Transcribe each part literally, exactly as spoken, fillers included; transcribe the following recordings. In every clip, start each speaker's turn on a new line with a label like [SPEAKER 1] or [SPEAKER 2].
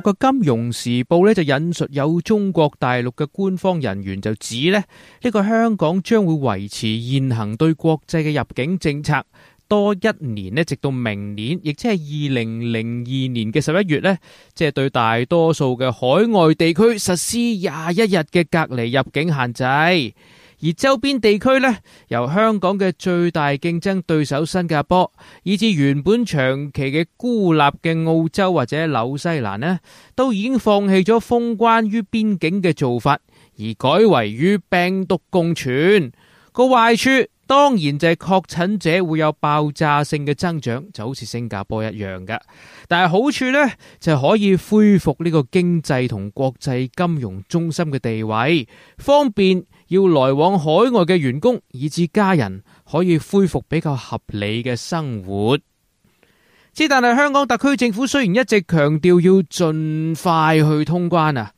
[SPEAKER 1] 國嘅《金融時報》咧就引述有中國大陸嘅官方人員就指咧，呢個香港將會維持現行對國際嘅入境政策多一年咧，直到明年，亦即係二零零二年嘅十一月咧，即係對大多數嘅海外地區實施廿一日嘅隔離入境限制。而周邊地區呢，由香港嘅最大競爭對手新加坡，以至原本長期嘅孤立嘅澳洲或者紐西蘭呢，都已經放棄咗封關於邊境嘅做法，而改為與病毒共存。個壞處當然就係確診者會有爆炸性嘅增長，就好似新加坡一樣㗎。但係好處呢，就係可以恢復呢個經濟同國際金融中心嘅地位，方便要來往海外嘅員工以至家人可以恢復比較合理嘅生活。之但係香港特區政府雖然一直強調要盡快去通關啊，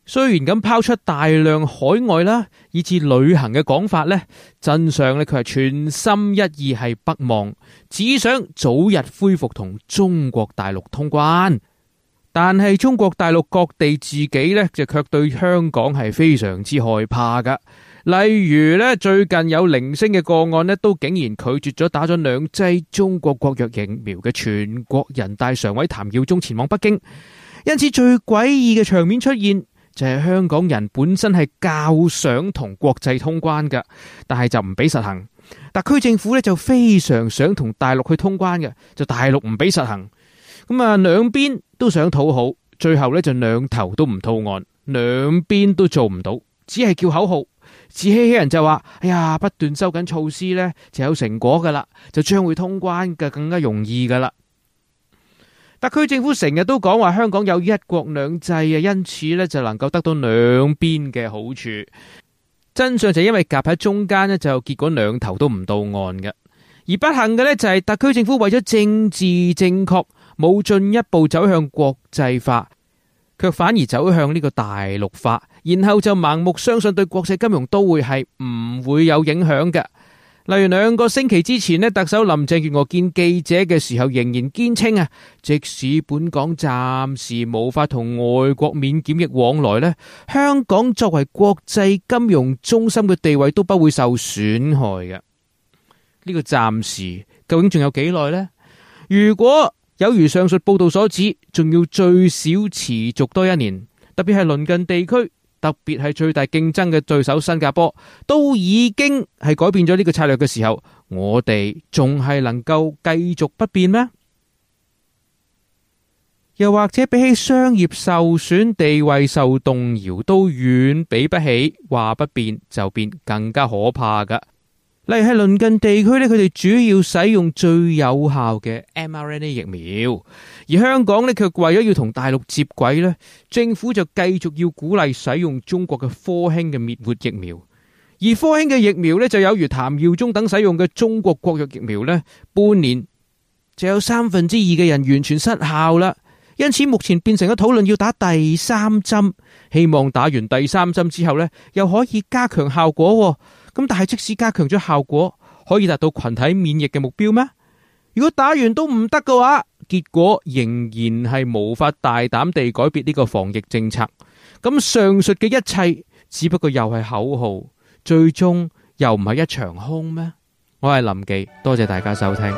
[SPEAKER 1] 雖然咁拋出大量海外啦以至旅行嘅講法呢，真相呢，佢係全心一意係北望，只想早日恢復同中國大陸通關。但係中國大陸各地自己呢，就卻對香港係非常之害怕噶。例如呢，最近有零星嘅個案呢，都竟然拒絕咗打咗兩劑中國國藥疫苗嘅全國人大常委譚耀宗前往北京。因此最詭異嘅場面出現，就係香港人本身係較想同國際通關噶，但係就唔俾實行。特區政府呢，就非常想同大陸去通關嘅，就大陸唔俾實行。咁啊，兩邊都想討好，最後咧就兩頭都唔吐岸，兩邊都做唔到，只係叫口號，自欺欺人就話：哎呀，不斷收緊措施咧就有成果噶啦，就將會通關嘅更加容易噶啦。特區政府成日都講話香港有一國兩制啊，因此咧就能夠得到兩邊嘅好處。真相就因為夾喺中間咧，就結果兩頭都唔到岸嘅。而不幸嘅咧就係特區政府為咗政治正確，冇進一步走向國際化，卻反而走向呢個大陸化，然後就盲目相信對國際金融都會係唔會有影響嘅。例如兩個星期之前呢，特首林鄭月娥見記者嘅時候仍然堅稱啊，即使本港暫時無法同外國免檢疫往來呢，香港作為國際金融中心嘅地位都不會受損害嘅。呢個暫時究竟仲有幾耐呢？如果有如上述報道所指，仲要最少持續多一年，特別係鄰近地區，特別係最大競爭嘅對手新加坡，都已經係改變咗呢個策略嘅時候，我哋仲係能夠繼續不變咩？又或者比起商業受損、地位受動搖，都遠比不起話不變就變更加可怕噶。例如係鄰近地區咧，佢哋主要使用最有效嘅 M R N A 疫苗，而香港咧卻為咗要同大陸接軌咧，政府就繼續要鼓勵使用中國嘅科興嘅滅活疫苗，而科興嘅疫苗咧就有如譚耀宗等使用嘅中國國藥疫苗咧，半年就有三分之二嘅人完全失效啦。因此目前變成咗討論要打第三針，希望打完第三針之後咧，又可以加強效果。咁但係即使加強咗效果，可以達到群體免疫嘅目標咩？如果打完都唔得嘅話，結果仍然係無法大膽地改變呢個防疫政策。咁上述嘅一切只不過又係口號，最終又唔係一場空咩？我係林忌，多謝大家收聽。